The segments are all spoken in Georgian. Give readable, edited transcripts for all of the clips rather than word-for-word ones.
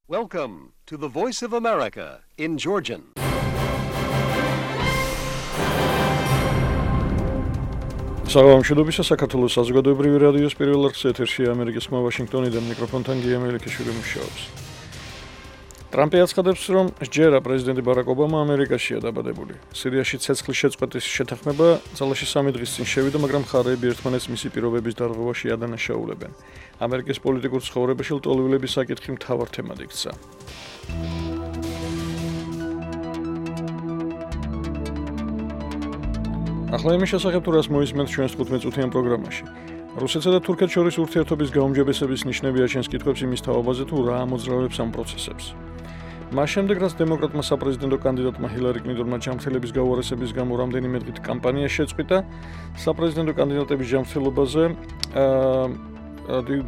Welcome to the Voice of America in Georgian. საღამოშობისა საქართველოს საზოგადოებრივი რადიოს პირველ არხის ეთერში ამერიკის ხმა ვაშინგტონიდან მიკროფონთან გია მელიქიშვილი მუშაობს. ტრამპი აცხადებს, რომ ჯერა პრეზიდენტი ბარაკ ობამა ამერიკაშია დაბადებული. სირიაში ცეცხლის შეწყვეტის შეთანხმება ძალაში 3 დღის წინ შევიდა, მაგრამ მხარეები ერთმანეთს მისი პირობების დარღვევაში ადანაშაულებენ. ამერიკის პოლიტიკურ ცხოვრებაში ლტოლვილების საკითხი მთავარ თემად იქცა. ახლა იმის შესახებ თუ რას მოისმენთ ჩვენს 15-წუთიან პროგრამაში. რუსეთსა და თურქეთს შორის ურთიერთობის გაუმჯობესების ნიშნები აჩენს კითხვებს იმის თაობაზე თუ რა ამოძრავებს ამ პროცესებს. მას შემდეგ, რაც დემოკრატმა საპრეზიდენტო კანდიდატმა ჰილარი კლინტონმა ჯანმრთელების გაუარესების გამო რამდენიმე დღით კამპანია შეწყვიტა, საპრეზიდენტო კანდიდატების ჯანმრთელობაზე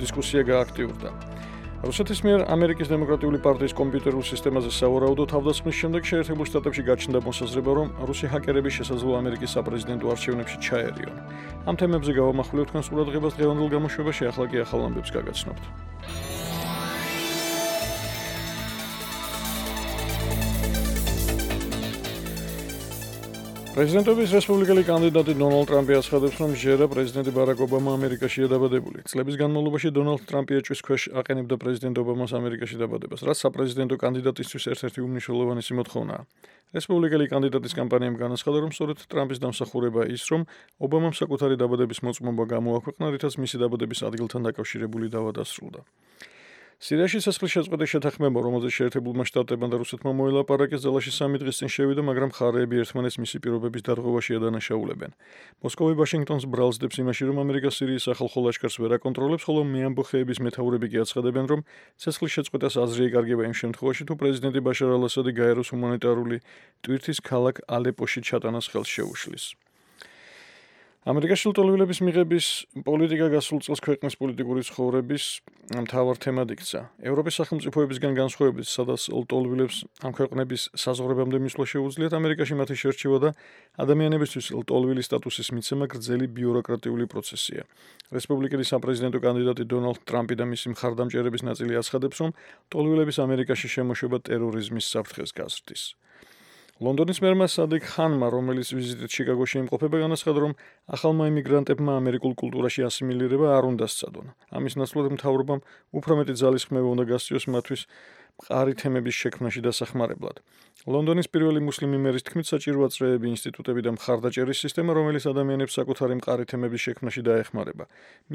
დისკუსია გააქტიურდა. რუსეთის მიერ ამერიკის დემოკრატიული პარტიის კომპიუტერულ სისტემაზე სავარაუდო თავდასხმის შემდეგ შეერთებულ შტატებში გაჩნდა მოსაზრება, რომ რუსი ჰაკერები შესაძლოა ამერიკის საპრეზიდენტო არჩევნებში ჩაერიონ. ამ თემებზე გავამახვილებთ თქვენს ყურადღებას დღევანდელ გამოშვებაში, ახლა კი ახალ ამბებს გაგაცნობთ. პრეზიდენტობის რესპუბლიკელი კანდიდატი დონალდ ტრამპი აცხადებს, რომ ჯერა პრეზიდენტი ბარაკ ობამა ამერიკაშია დაბადებული. წლების განმავლობაში დონალდ ტრამპი ეჭვის ქვეშ აყენებდა პრეზიდენტ ობამას ამერიკაში დაბადებას, რაც საპრეზიდენტო კანდიდატისთვის ერთ-ერთი უმნიშვნელოვანესი მოთხოვნაა. რესპუბლიკელი კანდიდატის კამპანიამ განაცხადა, რომ სწორედ ტრამპის დამსახურებაა ის, რომ ობამამ საკუთარი დაბადების მოწმობა გამოაქვეყნა, რითაც მისი დაბადების ადგილთან დაკავშირებული დავა დასრულდა. სირიაში ცეცხლის შეწყვეტის შეთანხმება, რომელზეც შეერთებულმა შტატებმა და რუსეთმა მოელაპარაკეს, ძალაში 3 დღის წინ შევიდა, მაგრამ მხარეები ერთმანეთს მისი პირობების დარღვევაში ადანაშაულებენ. მოსკოვი ვაშინგტონს ბრალსდებს იმაში, რომ ამერიკა სირიის სახალხო ლაშქარს ვერ აკონტროლებს, ხოლო მეამბოხეების მეთაურები კი აცხადებენ, რომ ცეცხლის შეწყვეტას აზრი იკარგება იმ შემთხვევაში, თუ პრეზიდენტი ბაშარ ალ-ასადი გაეროს ჰუმანიტარული ტვირთის ქალაქ ალეპოში ჩატანას ხელს შეუშლის. ამერიკაში ლტოლვილების მიღების პოლიტიკა გასულ წელს ქვეყნის პოლიტიკური ცხოვრების მთავარ თემად იქცა. ევროპის სახელმწიფოებისგან განსხვავებით, სადაც ლტოლვილებს ამ ქვეყნების საზღვრებამდე მისვლა შეუძლიათ, ამერიკაში მათი შერჩევა და ადამიანებისთვის ლტოლვილის სტატუსის მიცემა გრძელი ბიუროკრატიული პროცესია. რესპუბლიკელი საპრეზიდენტო კანდიდატი დონალდ ტრამპი და მისი მხარდამჭერების ნაწილი აცხადებს, რომ ლტოლვილების ამერიკაში შემოშვება ტერორიზმის საფრთხეს გაზრდის. ლონდონის მერმა სადიკ ხანმა, რომელიც ვიზიტით შიკაგოში იმყოფება, განაცხადა, რომ ახალმა იმიგრანტებმა ამერიკულ კულტურაში ასიმილირება არ უნდა სცადონ. ამის ნაცვლად მთავრობამ უფრო მეტი ძალისხმევა უნდა გასწიოს მათთვის მყარი თემების შექმნაში დასახმარებლად. ლონდონის პირველი მუსლიმი მერის თქმით, საჭიროა წრეები, ინსტიტუტები და მხარდაჭერის სისტემა, რომელიც ადამიანებს საკუთარი მყარი თემების შექმნაში დაეხმარება.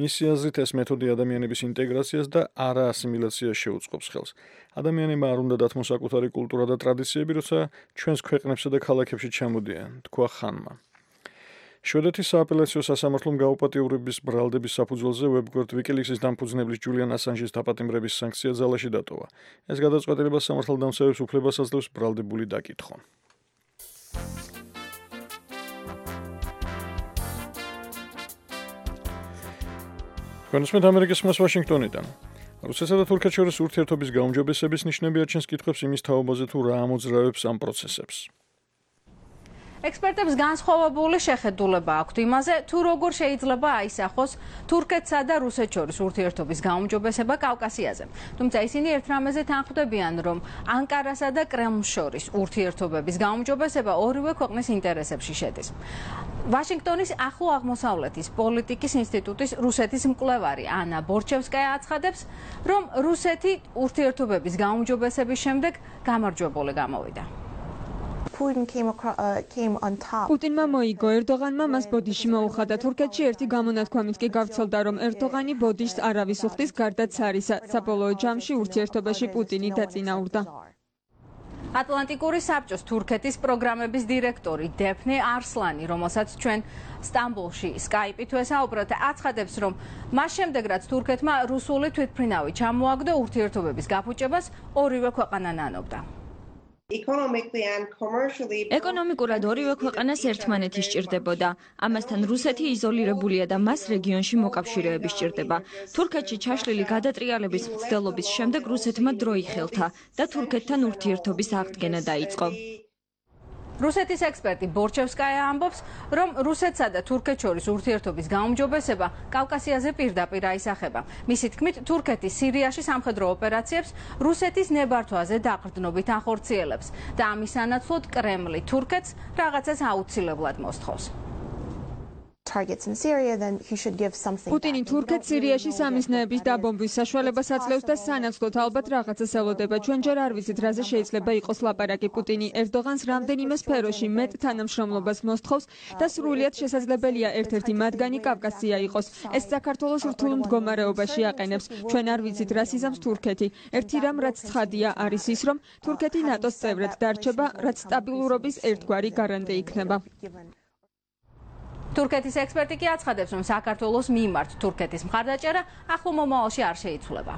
მისი აზრით, ეს მეთოდი ადამიანების ინტეგრაციას და არა ასიმილაციას შეუწყობს ხელს. ადამიანებმა არ უნდა დათმოს საკუთარი კულტურა და ტრადიციები, როცა ჩვენს ქვეყნებსა და ქალაქებში ჩამოდიან, თქვა ხანმა. შვედეთის სააპელაციო სასამართლომ გაუპატიურების ბრალდების საფუძველზე ვებგვერდ ვიკილიქსის დამფუძნებლის ჯულიან ასანჟის დაპატიმრების სანქცია ძალაში დატოვა. ეს გადაწყვეტილება სამართალდამცავებს უფლებას აძლევს ბრალდებული დაკითხონ. განსმით ამერიკის ხმას ვაშინგტონიდან. რუსეთსა და თურქეთს შორის ურთიერთობის გაუმჯობესების ნიშნები აჩენს კითხვებს იმის თაობაზე თუ რა ამოძრავებს ამ პროცესებს. ექსპერტებს განსხვავებული შეხედულება აქვთ იმაზე, თუ როგორ შეიძლება აისახოს თურქეთსა და რუსეთს შორის ურთიერთობის გაუმჯობესება კავკასიაზე. თუმცა ისინი ერთ რამეზე თანხმდებიან, რომ ანკარასა და კრემლს შორის ურთიერთობების გაუმჯობესება ორივე ქვეყნის ინტერესებში შედის. ვაშინგტონის ახლო აღმოსავლეთის პოლიტიკის ინსტიტუტის რუსეთის მკვლევარი ანა ბორჩევსკაია აცხადებს, რომ რუსეთი ურთიერთობების გაუმჯობესების შემდეგ გამარჯვებული გამოვიდა. პუტინმა მოიგო ერდოღანმა მას ბოდიში მოუხადა. თურქეთში ერთი გამონათქვამით კი გავრცელდა, რომ ერდოღანი ბოდიშს არავის უხდის გარდა ცარისა. საბოლოო ჯამში ურთიერთობაში პუტინი დაწინაურდა. ატლანტიკური საბჭოს თურქეთის პროგრამების დირექტორი დეფნე არსლანი, რომელსაც ჩვენ სტამბოლში სკაიპით ვესაუბრეთ, აცხადებს, რომ მას შემდეგ, რაც თურქეთმა რუსული თვითმფრინავი ჩამოაგდო, ურთიერთობების გაფუჭებას ორივე ქვეყანა ნანობდა. ეკონომიკურად ორივე ქვეყანას ერთმანეთი სჭირდებოდა. ამასთან რუსეთი იზოლირებულია და მას რეგიონში მოკავშირეები სჭირდება. თურქეთში ჩაშლილი გადატრიალების მცდელობის შემდეგ რუსეთმა დრო იხელთა და თურქეთთან ურთიერთობის აღდგენა დაიწყო. რუსეთის ექსპერტი ბორჩევსკაია ამბობს, რომ რუსეთსა და თურქეთს შორის ურთიერთობის გაუმჯობესება კავკასიაზე პირდაპირ აისახება. მისი თქმით, თურქეთი სირიაში სამხედრო ოპერაციებს რუსეთის ნებართვაზე დაყრდნობით ახორციელებს და ამის სანაცვლოდ კრემლი თურქეთს რაღაცას აუცილებლად მოსთხოვს. პუტინი თურქეთს სირიაში სამიზნეების დაბომბვის საშუალებას აძლევს და სანაცვლოდ ალბათ რაღაცას ელოდება. ჩვენ ჯერ არ ვიცით, რაზე შეიძლება იყოს ლაპარაკი. პუტინი ერდოღანს რამდენიმე სფეროში მეტ თანამშრომლობას მოსთხოვს და სრულიად შესაძლებელია ერთ-ერთი მათგანი კავკასია იყოს. ეს საქართველოს რთულ მდგომარეობაში აყენებს. ჩვენ არ ვიცით, რას იზამს თურქეთი. ერთი რამ, რაც ცხადია, არის ის, რომ თურქეთი ნატოს წევრად დარჩება, რაც სტაბილურობის ერთგვარი გარანტი იქნება. თურქეთის ექსპერტი კი აცხადებს, რომ საქართველოს მიმართ თურქეთის მხარდაჭერა ახლო მომავალში არ შეიცვლება.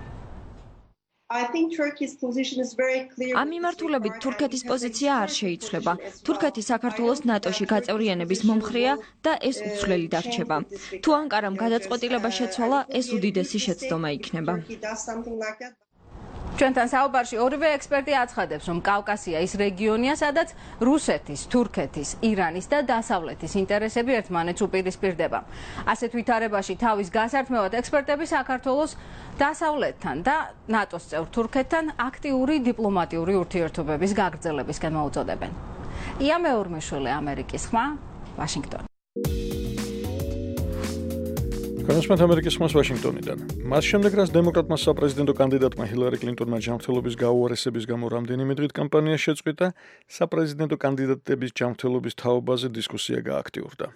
ამ მიმართულებით თურქეთის პოზიცია არ შეიცვლება. თურქეთი საქართველოს ნატოში გაწევრიანების მომხრეა და ეს უცვლელი დარჩება. თუ ანკარამ გადაწყვეტილება შეცვალა, ეს უდიდესი შეცდომა იქნება. ჩვენთან საუბარში ორივე ექსპერტი აცხადებს, რომ კავკასია ის რეგიონია, სადაც რუსეთის, თურქეთის, ირანის და დასავლეთის ინტერესები ერთმანეთს უპირისპირდება. ასეთ ვითარებაში თავის გასართმევად ექსპერტები საქართველოს დასავლეთთან და ნატოს წევრ თურქეთთან აქტიური დიპლომატიური ურთიერთობების გაგრძელებისკენ მოუწოდებენ. ია მეორმიშვილი, ამერიკის ხმა, ვაშინგტონი. განსხვავებით ამერიკის ხმას ვაშინგტონიდან. მას შემდეგ, რაც დემოკრატმა საპრეზიდენტო კანდიდატმა ჰილარი კლინტონმა ჯანმრთელობის გაუარესების გამო რამდენიმე დღით კამპანია შეწყვიტა, საპრეზიდენტო კანდიდატების ჯანმრთელობის თაობაზე დისკუსია გააქტიურდა.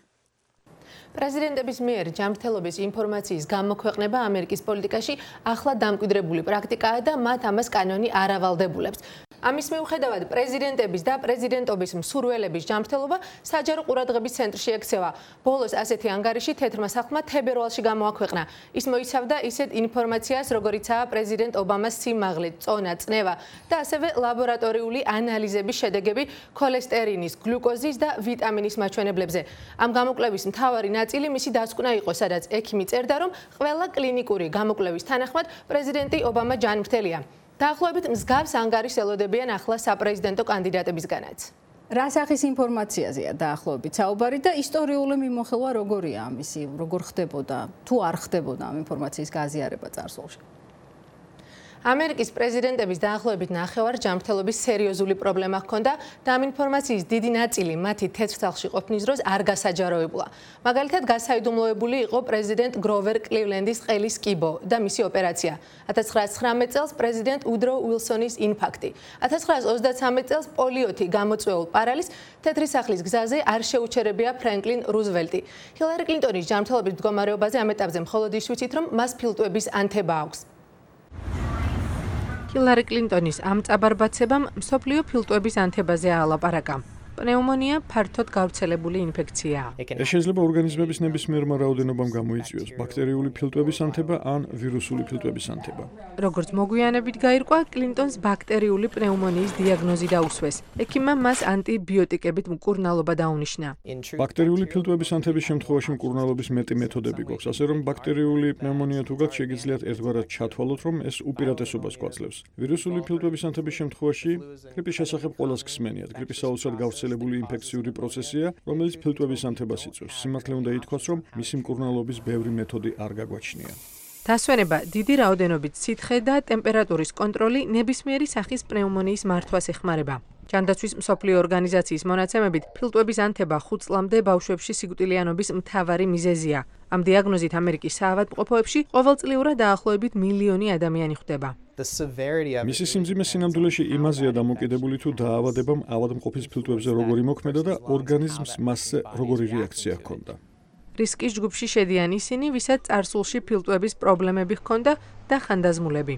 პრეზიდენტების მიერ ჯანმრთელობის ინფორმაციის გამოქვეყნება ამერიკის პოლიტიკაში ახლა დამკვიდრებული პრაქტიკაა და მათ ამას კანონი არ ავალდებულებს. ამის მიუხედავად პრეზიდენტების და პრეზიდენტობის მსურველების ჯანმრთელობა საჯარო ყურადღების ცენტრში ექცევა. ბოლოს ასეთი ანგარიში თეთრმა სახლმა თებერვალში გამოაქვეყნა. ის მოიცავდა ისეთ ინფორმაციას, როგორიცაა პრეზიდენტ ობამას სიმაღლე, წონა, წნევა და ასევე ლაბორატორიული ანალიზების შედეგები ქოლესტერინის, გლუკოზის და ვიტამინის მაჩვენებლებზე. ამ გამოკვლევის მთავარი ნაწილი მისი დასკვნა იყო, სადაც ექიმი წერდა, რომ ყველა კლინიკური გამოკვლევის თანახმად პრეზიდენტი ობამა ჯანმრთელია. დაახლოებით მსგავს ანგარიშს ელოდებიან ახლა საპრეზიდენტო კანდიდატებისგანაც. რა სახის ინფორმაციაზეა დაახლოებით საუბარი და ისტორიული მიმოხილვა როგორია ამისი, როგორ ხდებოდა, თუ არ ხდებოდა ამ ინფორმაციის გაზიარება წარსულში? ამერიკის პრეზიდენტების დაახლოებით ნახევარ ჯანმრთელობის სერიოზული პრობლემა ჰქონდა და ამ ინფორმაციის დიდი ნაწილი მათი თეთრ სახლში ყოფნის დროს არ გასაჯაროებულა. მაგალითად, გასაიდუმლოებული იყო პრეზიდენტ გროვერ კლივლენდის ყელის კიბო და მისი ოპერაცია. 1919 წელს პრეზიდენტ უდრო უილსონის ინფარქტი. 1933 წელს პოლიოთი გამოწვეულ პარალის თეთრი სახლის გზაზე არ შეუჩერებია ფრენკლინ რუზველტი. ჰილარი კლინტონის ჯანმრთელობის მდგომარეობაზე ამ ეტაპზე მხოლოდ ის ვიცით, რომ მას ფილტვების ანთება აქვს. ჰილარი კლინტონის ამ წაბარბაცებამ მსოფლიო ფილტვების ანთებაზე აალაპარაკა. პნეუმონია ფართოდ გავრცელებული ინფექციაა. ეს შეიძლება ორგანიზმების ნებისმიერმა რაოდენობამ გამოიწვიოს ბაქტერიული ფილტვების ანთება ან ვირუსული ფილტვების ანთება. როგორც მოგვიანებით გაირკვა, კლინტონს ბაქტერიული პნეუმონიის დიაგნოზი დაუსვეს. ექიმმა მას ანტიბიოტიკებით მკურნალობა დაუნიშნა. ბაქტერიული ფილტვების ანთების შემთხვევაში მკურნალობის მეტი მეთოდები გვაქვს, ასე რომ ბაქტერიული პნეუმონია თუ გაქვთ, შეგიძლიათ ერთგვარად ჩათვალოთ, რომ ეს უპირატესობას გვაძლევს. ვირუსული ფილტვების ანთების შემთხვევაში გრიპის შესახებ ყველას გსმენიათ. გრიპის საოცრად გავრცელებული ინფექციური პროცესია, რომელიც ფილტვების ანთებას იწვევს. სიმართლე უნდა ითქვას, რომ მისი მკურნალობის ბევრი მეთოდი არ გაგვაჩნია. დასვენება, დიდი რაოდენობით სითხე და ტემპერატურის კონტროლი ნებისმიერი სახის პნეუმონიის მართვას ეხმარება. ჯანდაცვის მსოფლიო ორგანიზაციის მონაცემებით, ფილტვების ანთება 5 წლამდე ბავშვებში სიკვდილიანობის მთავარი მიზეზია. ამ დიაგნოზით ამერიკის საავადმყოფოებში ყოველწლიურად დაახლოებით მილიონი ადამიანი ხვდება. მისი სიმძიმე სინამდვილეში იმაზეა დამოკიდებული, თუ დაავადებამ ავადმყოფის ფილტვებზე როგორი მოქმედა და ორგანიზმს მასზე როგორი რეაქცია ჰქონდა. რისკის ჯგუფში შედიან ისინი, ვისაც წარსულში ფილტვების პრობლემები ჰქონდა და ხანდაზმულები.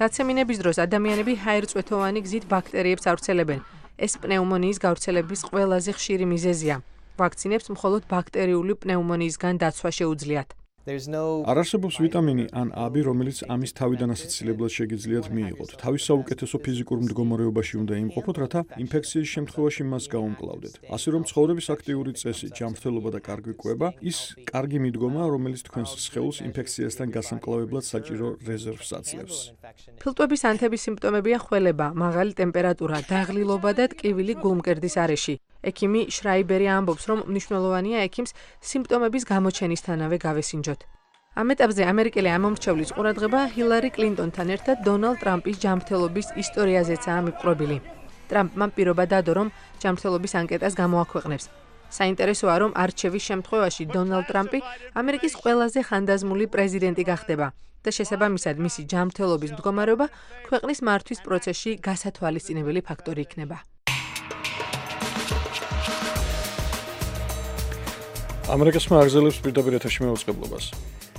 დაცემინების დროს ადამიანები ჰაერწვეთოვანი გზით ბაქტერიებს ავრცელებენ. ეს პნეუმონიის გავრცელების ყველაზე ხშირი მიზეზია. ვაქცინებს მხოლოდ ბაქტერიული პნეუმონიისგან დაცვა შეუძლიათ. არ არსებობს ვიტამინი ან აბი, რომელიც ამის თავიდან ასაცილებლად შეგიძლიათ მიიღოთ. თავის საუკეთესო ფიზიკურ მდგომარეობაში უნდა იმყოფოთ, რათა ინფექციის შემთხვევაში მას გაუმკლავდეთ. ასე რომ ცხოვრების აქტიური წესი, ჯანმრთელობა და კარგი კვება ის კარგი მიდგომა, რომელიც თქვენს სხეულს ინფექციასთან გასამკლავებლად საჭირო რეზერვს აძლევს. ფილტვების ანთების სიმპტომებია ხველება, მაღალი ტემპერატურა, დაღლილობა და ტკივილი გულმკერდის არეში. ექიმი შრაიბერი ამბობს, რომ მნიშვნელოვანია ექიმს სიმპტომების გამოჩენისთანავე გავესინჯოთ. ამ ეტაპზე ამერიკელი ამომრჩევლის ყურადღება ჰილარი კლინტონთან ერთად დონალდ ტრამპის ჯანმრთელობის ისტორიაზეცაა მიპყრობილი. ტრამპმა პირობა დადო, რომ ჯანმრთელობის ანკეტას გამოაქვეყნებს. საინტერესოა, რომ არჩევის შემთხვევაში დონალდ ტრამპი ამერიკის ყველაზე ხანდაზმული პრეზიდენტი გახდება და შესაბამისად მისი ჯანმრთელობის მდგომარეობა ქვეყნის მართვის პროცესში გასათვალისწინებელი ფაქტორი იქნება. ამერიკასმა აგზელებს პირდაპირ ეთერში მეუწყებლობას.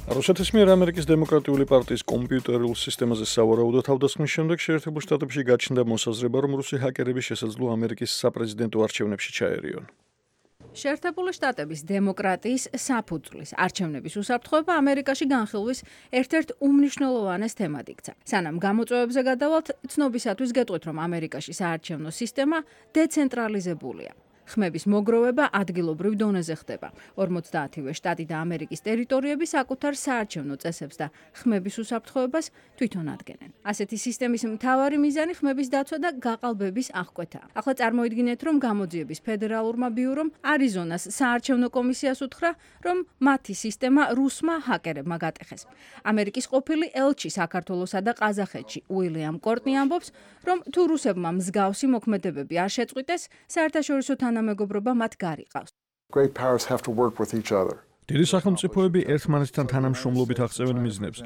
რუსეთის მიერ ამერიკის დემოკრატიული პარტიის კომპიუტერულ სისტემაზე სავარაუდო თავდასხმის შემდეგ შეერთებულ შტატებში გაჩნდა მოსაზრება, რომ რუსი ჰაკერები შესაძლოა ამერიკის საპრეზიდენტო არჩევნებში ჩაერიონ. შეერთებული შტატების დემოკრატიის საფუძვლის არჩევნების უსაფრთხოება ამერიკაში განხილვის ერთ-ერთ უმნიშვნელოვანეს თემად იქცა. სანამ გამოწვევებზე გადავალთ, ცნობისათვის გეტყვით, რომ ამერიკაში საარჩევნო სისტემა დეცენტრალიზებულია. ხმების მოგროვება ადგილობრივ დონეზე ხდება. 50-ვე შტატი და ამერიკის ტერიტორიები საკუთარ საარჩევნო წესებს და ხმების უსაფრთხოებას თვითონ ადგენენ. ასეთი სისტემის მთავარი მიზანი ხმების დაცვა და გაყალბების აღკვეთაა. ახლა წარმოიდგინეთ, რომ გამოძიების ფედერალურმა ბიურომ არიზონას საარჩევნო კომისიას უთხრა, რომ მათი სისტემა რუსმა ჰაკერებმა გატეხეს. ამერიკის ყოფილი ელჩი საქართველოსა და ყაზახეთში უილიამ კორტნი ამბობს, რომ თუ რუსებმა მსგავსი მოქმედებები არ შეწყვიტეს, საერთაშორისო თანამეგობრობა მათ გარიყავს. დიდი სახელმწიფოები ერთმანეთთან თანამშრომლობით აღწევენ მიზნებს.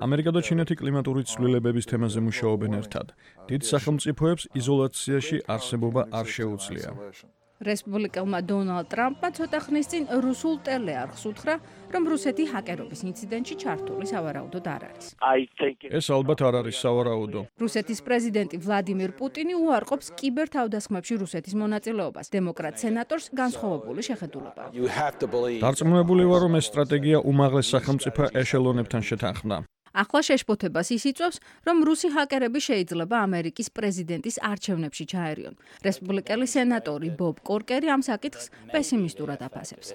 ამერიკა და ჩინეთი კლიმატური ცვლილებების თემაზე მუშაობენ ერთად. დიდ სახელმწიფოებს იზოლაციაში არსებობა არ შეუძლია. რესპუბლიკელმა დონალდ ტრამპმა ცოტა ხნის წინ რუსულ ტელეარხს უთხრა, რომ რუსეთი ჰაკერობის ინციდენტში ჩართული სავარაუდოდ არ არის. ეს ალბათ არ არის სავარაუდო. რუსეთის პრეზიდენტი ვლადიმირ პუტინი უარყოფს კიბერ თავდასხმებში რუსეთის მონაწილეობას. დემოკრატ სენატორს განსხვავებული შეხედულება. დარწმუნებული ვარ, რომ ეს სტრატეგია უმაღლეს სახელმწიფო ეშელონებთან შეთანხმდა. ახლა შეშფოთებას ის იწვევს, რომ რუსი ჰაკერები შეიძლება ამერიკის პრეზიდენტის არჩევნებში ჩაერიონ. რესპუბლიკელი სენატორი ბობ კორკერი ამ საკითხს პესიმისტურად აფასებს.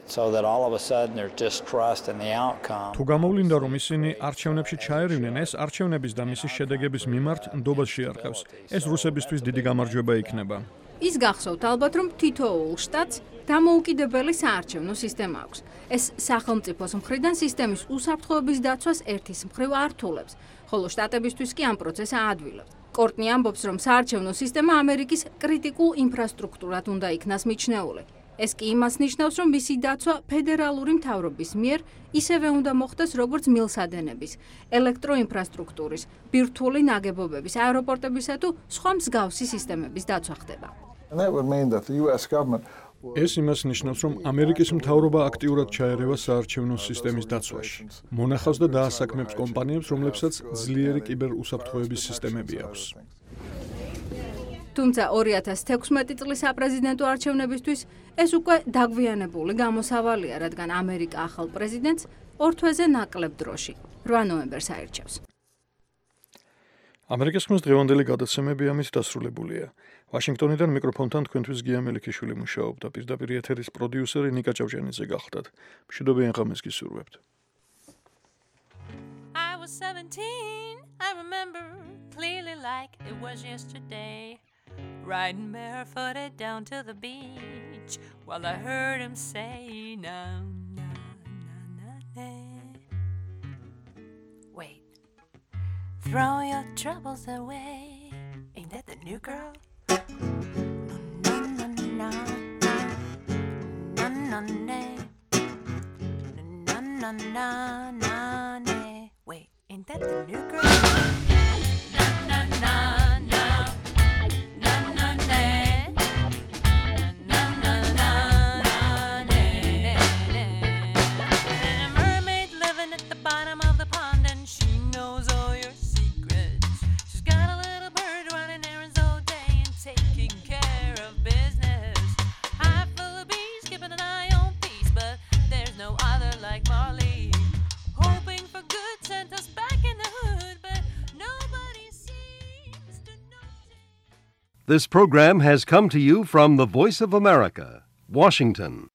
თუ გამოვლინდა, რომ ისინი არჩევნებში ჩაერივნენ, ეს არჩევნების და მისი შედეგების მიმართ ნდობას შეარყევს. ეს რუსებისთვის დიდი გამარჯვება იქნება. ის გახსოვთ ალბათ, რომ თითოეულ შტატს დამოუკიდებელი საარჩევნო სისტემა აქვს. ეს სახელმწიფოს მხრიდან სისტემის უსაფრთხოების დაცვას ერთის მხრივ ართულებს, ხოლო შტატებისთვის კი ამ პროცესს აადვილებს. კორტნი ამბობს, რომ საარჩევნო სისტემა ამერიკის კრიტიკულ ინფრასტრუქტურად უნდა იქნას მიჩნეული. ეს კი იმას ნიშნავს, რომ მისი დაცვა ფედერალური მთავრობის მიერ ისევე უნდა მოხდეს, როგორც მილსადენების, ელექტროინფრასტრუქტურის, ბირთვული ნაგებობების, აეროპორტებისა თუ სხვა მსგავსი სისტემების დაცვა ხდება. ეს იმას ნიშნავს, რომ ამერიკის მთავრობა აქტიურად ჩაერევა საარჩევნო სისტემის დაცვაში. მონახავს და დაასაქმებს კომპანიებს, რომლებსაც ძლიერი კიბერუსაფრთხოების სისტემები აქვს. თუმცა 2016 წლის საპრეზიდენტო არჩევნებისთვის ეს უკვე დაგვიანებული გამოსავალია, რადგან ამერიკა ახალ პრეზიდენტს ორ თვეზე ნაკლებ დროში, 8 ნოემბერს აირჩევს. ამერიკის ხმის დღევანდელი გადაცემები ამით დასრულებულია. ვაშინგტონიდან მიკროფონთან თქვენთვის გია მელიქიშვილი მუშაობდა. პირდაპირ ეთერის პროდიუსერი ნიკა ჭავჭიანიძე გახლდათ. მშვიდობიან ღამეს გისურვებთ. I was 17, I remember clearly like it was yesterday. Riding barefooted down to the beach while I heard him say, na, na, na, na, na. Wait, throw your troubles away. Ain't that the new girl? Na, na, na, na, na, na, na, na, na, na, na, na. Wait, ain't that the new girl? Na, na, na. This program has come to you from the Voice of America, Washington.